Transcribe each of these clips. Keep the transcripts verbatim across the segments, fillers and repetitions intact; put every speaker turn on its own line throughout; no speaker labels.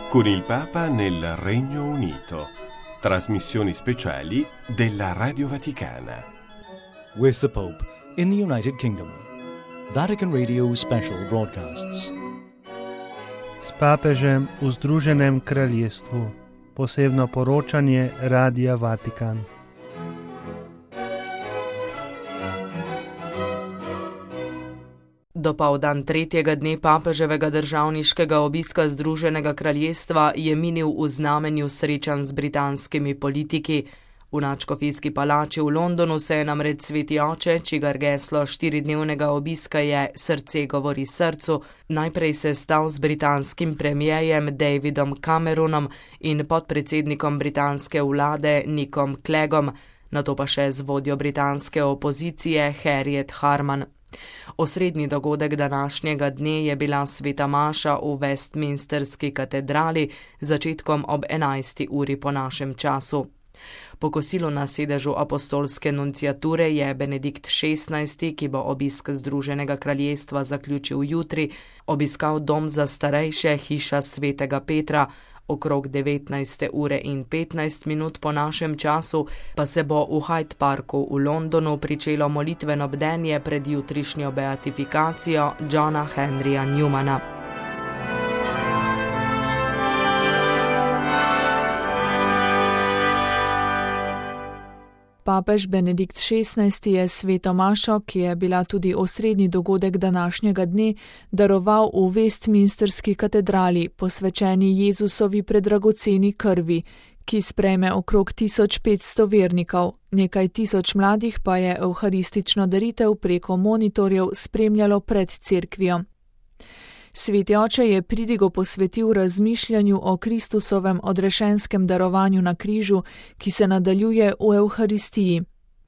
con il Papa nel Regno Unito. Trasmissioni speciali della Radio Vaticana.
With the Pope in the United Kingdom. Vatican Radio Special Broadcasts.
S papežem v Združenem kraljestvu. Posebno poročanje Radia Vatikan.
Dopoldan tretjega dne papeževega državniškega obiska Združenega kraljestva je minil v znamenju srečanj z britanskimi politiki. V nadškofijski palači v Londonu se je namreč sveti oče, čigar geslo štiridnevnega obiska je Srce govori srcu, najprej sestal z britanskim premierjem Davidom Cameronom in podpredsednikom britanske vlade Nickom Cleggom, nato pa še z vodjo britanske opozicije Harriet Harman. Osrednji dogodek današnjega dne je bila sveta maša v Westminsterski katedrali z začetkom ob enajsti uri po našem času. Po kosilu na sedežu apostolske nunciature je Benedikt šestnajsti, ki bo obisk Združenega kraljestva zaključil jutri, obiskal dom za starejše hiša svetega Petra. Okrog devetnajste ure in petnajst minut po našem času pa se bo v Hyde Parku v Londonu pričelo molitveno bdenje pred jutrišnjo beatifikacijo Johna Henryja Newmana.
Papež Benedikt šestnajsti je sveto mašo, ki je bila tudi osrednji dogodek današnjega dne, daroval v Westminsterski katedrali, posvečeni Jezusovi predragoceni krvi, ki sprejme okrog tisoč petsto vernikov. Nekaj tisoč mladih pa je evharistično daritev preko monitorjev spremljalo pred cerkvijo. Sveti oče je pridigo posvetil razmišljanju o Kristusovem odrešenskem darovanju na križu, ki se nadaljuje v Evharistiji.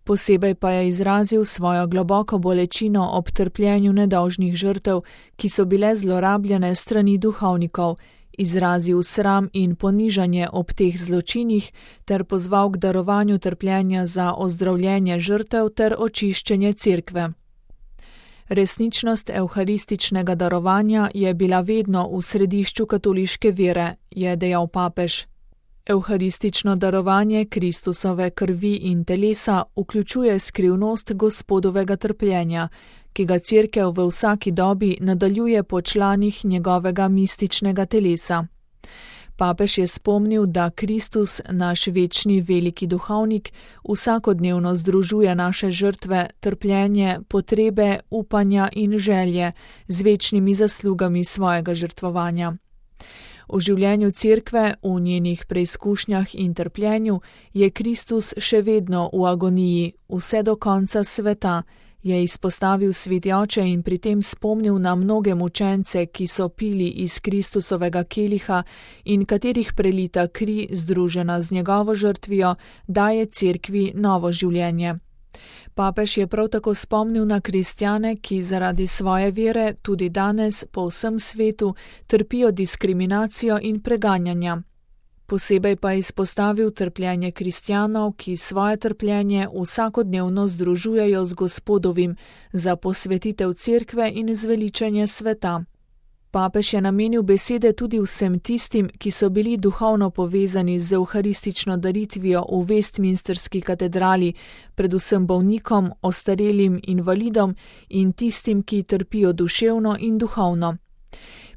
Posebej pa je izrazil svojo globoko bolečino ob trpljenju nedolžnih žrtev, ki so bile zlorabljene strani duhovnikov, izrazil sram in ponižanje ob teh zločinih ter pozval k darovanju trpljenja za ozdravljenje žrtev ter očiščenje cerkve. Resničnost evharističnega darovanja je bila vedno v središču katoliške vere, je dejal papež. Evharistično darovanje Kristusove krvi in telesa vključuje skrivnost Gospodovega trpljenja, ki ga cerkev v vsaki dobi nadaljuje po članih njegovega mističnega telesa. Papež je spomnil, da Kristus, naš večni veliki duhovnik, vsakodnevno združuje naše žrtve, trpljenje, potrebe, upanja in želje z večnimi zaslugami svojega žrtvovanja. V življenju cerkve, v njenih preizkušnjah in trpljenju, je Kristus še vedno v agoniji, vse do konca sveta, je izpostavil sveti oče in pri tem spomnil na mnoge mučence, ki so pili iz Kristusovega keliha in katerih prelita kri, združena z njegovo žrtvijo, daje cerkvi novo življenje. Papež je prav tako spomnil na kristjane, ki zaradi svoje vere tudi danes po vsem svetu trpijo diskriminacijo in preganjanja. Posebej pa izpostavil trpljenje kristjanov, ki svoje trpljenje vsakodnevno združujejo z Gospodovim za posvetitev cerkve in zveličanje sveta. Papež je namenil besede tudi vsem tistim, ki so bili duhovno povezani z evharistično daritvijo v Westminsterski katedrali, predvsem bolnikom, ostarelim invalidom in tistim, ki trpijo duševno in duhovno.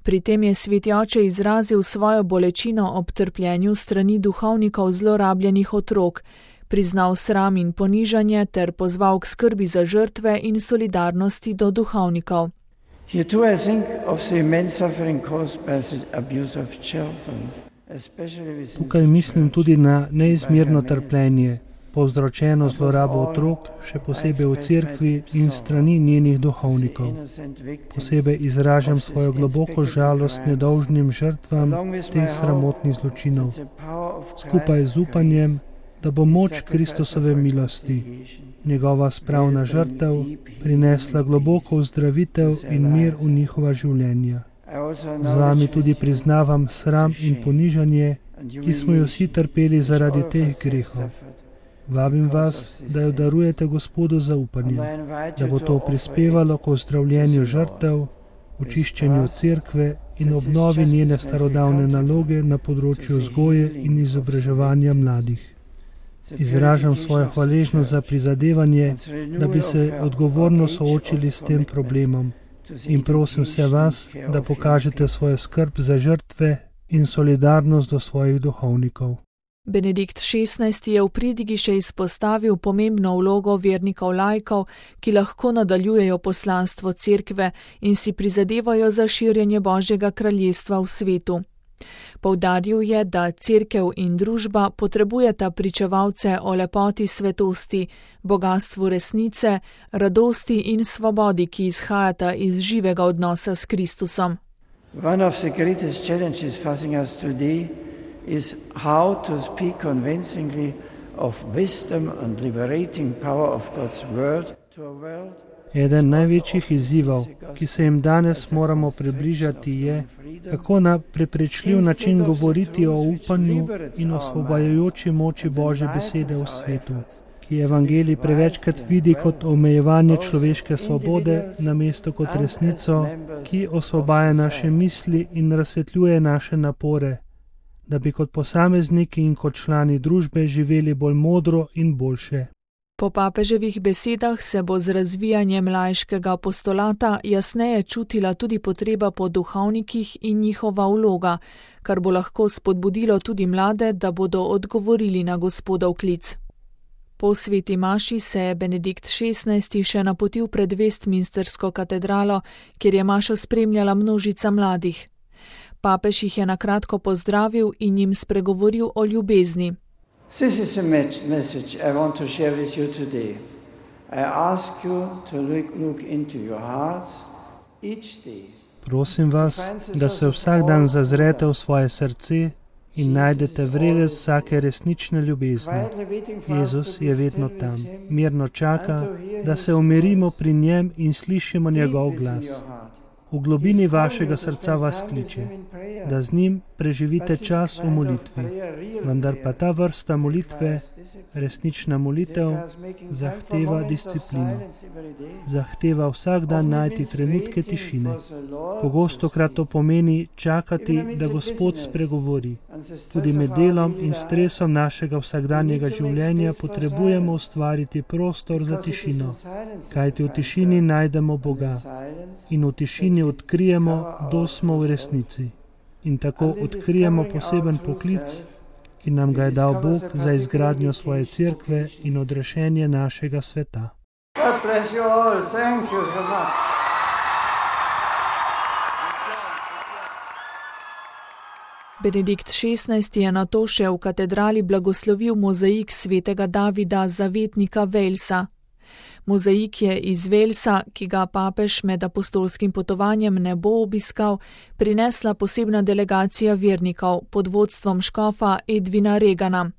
Pri tem je sveti oče izrazil svojo bolečino ob trpljenju strani duhovnikov zlorabljenih otrok, priznal sram in ponižanje ter pozval k skrbi za žrtve in solidarnosti do duhovnikov.
Tukaj mislim tudi na neizmerno trpljenje, povzročeno zlorabo otrok, še posebej v cerkvi in strani njenih duhovnikov. Posebej izražam svojo globoko žalost nedolžnim žrtvam teh sramotnih zločinov, skupaj z upanjem, da bo moč Kristusove milosti, njegova spravna žrtev, prinesla globoko ozdravitev in mir v njihova življenja. Z vami tudi priznavam sram in ponižanje, ki smo jo vsi trpeli zaradi teh grehov. Vabim vas, da jo darujete Gospodu za upanje, da bo to prispevalo k ozdravljenju žrtev, očiščenju cerkve in obnovi njene starodavne naloge na področju vzgoje in izobraževanja mladih. Izražam svojo hvaležnost za prizadevanje, da bi se odgovorno soočili s tem problemom in prosim vse vas, da pokažete svojo skrb za žrtve in solidarnost do svojih duhovnikov.
Benedikt šestnajsti je v pridigi še izpostavil pomembno vlogo vernikov laikov, ki lahko nadaljujejo poslanstvo cerkve in si prizadevajo za širjenje Božjega kraljestva v svetu. Poudaril je, da cerkev in družba potrebujeta pričevalce o lepoti svetosti, bogastvu resnice, radosti in svobodi, ki izhajata iz živega odnosa s Kristusom.
One of the greatest challenges facing us today is how to speak convincingly of wisdom and liberating power of God's word to a world.
Eden največjih izzivov, ki se jim danes moramo približati, je, kako na prepričljiv način govoriti o upanju in osvobajajoči moči Božje besede v svetu, ki evangelij prevečkrat vidi kot omejevanje človeške svobode, namesto kot resnico, ki osvobaja naše misli in razsvetljuje naše napore, da bi kot posamezniki in kot člani družbe živeli bolj modro in boljše.
Po papeževih besedah se bo z razvijanjem laiškega apostolata jasneje čutila tudi potreba po duhovnikih in njihova vloga, kar bo lahko spodbudilo tudi mlade, da bodo odgovorili na Gospodov klic. Po sveti maši se je Benedikt šestnajsti še napotil pred Westminstersko katedralo, kjer je mašo spremljala množica mladih. Papež jih je na kratko pozdravil in jim spregovoril o ljubezni.
This is a message I want to share with you today. I ask you to look, look into your hearts each day.
Prosim vas, da se vsak dan zazrete v svoje srce in najdete vrelec vsake resnične ljubezni. Jezus je vedno tam, mirno čaka, da se umirimo pri njem in slišimo njegov glas. V globini vašega srca vas kliče, da z njim preživite čas v molitvi, vendar pa ta vrsta molitve, resnična molitev, zahteva disciplino. Zahteva vsak dan najti trenutke tišine. Pogostokrat to pomeni čakati, da Gospod spregovori. Tudi med delom in stresom našega vsakdanjega življenja potrebujemo ustvariti prostor za tišino, kajti v tišini najdemo Boga in v tišini odkrijemo, kdo smo v resnici. In tako odkrijemo poseben poklic, ki nam ga je dal Bog za izgradnjo svoje cerkve in odrešenje našega sveta.
God bless you all. Thank you so much.
Benedikt šestnajsti je nato še v katedrali blagoslovil mozaik svetega Davida, zavetnika Walesa. Mozaik je iz Walesa, ki ga papež med apostolskim potovanjem ne bo obiskal, prinesla posebna delegacija vernikov pod vodstvom škofa Edwina Regana.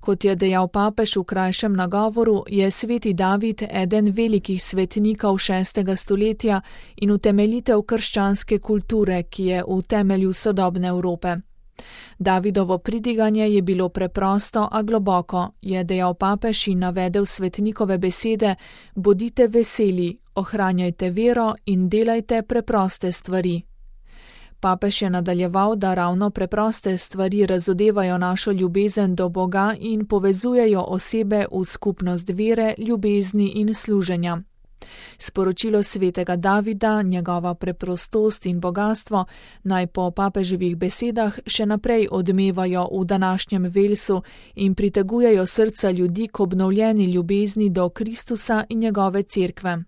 Kot je dejal papež v krajšem nagovoru, je sveti David eden velikih svetnikov šestega stoletja in utemeljitev krščanske kulture, ki je v temelju sodobne Evrope. Davidovo pridiganje je bilo preprosto, a globoko, je dejal papež in navedel svetnikove besede: bodite veseli, ohranjajte vero in delajte preproste stvari. Papež je nadaljeval, da ravno preproste stvari razodevajo našo ljubezen do Boga in povezujejo osebe v skupnost vere, ljubezni in služenja. Sporočilo svetega Davida, njegova preprostost in bogastvo naj po papeževih besedah še naprej odmevajo v današnjem Walesu in pritegujejo srca ljudi k obnovljeni ljubezni do Kristusa in njegove cerkve.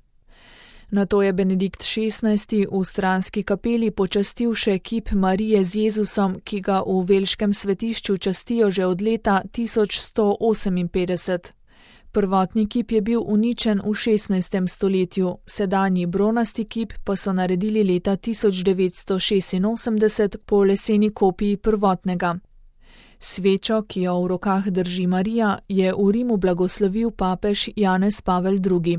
Nato je Benedikt šestnajsti v stranski kapeli počastil še kip Marije z Jezusom, ki ga v velškem svetišču častijo že od leta tisoč sto oseminpetdeset. Prvotni kip je bil uničen v šestnajstem stoletju, sedanji bronasti kip pa so naredili leta tisoč devetsto šestinosemdeset po leseni kopiji prvotnega. Svečo, ki jo v rokah drži Marija, je v Rimu blagoslovil papež Janez Pavel drugi.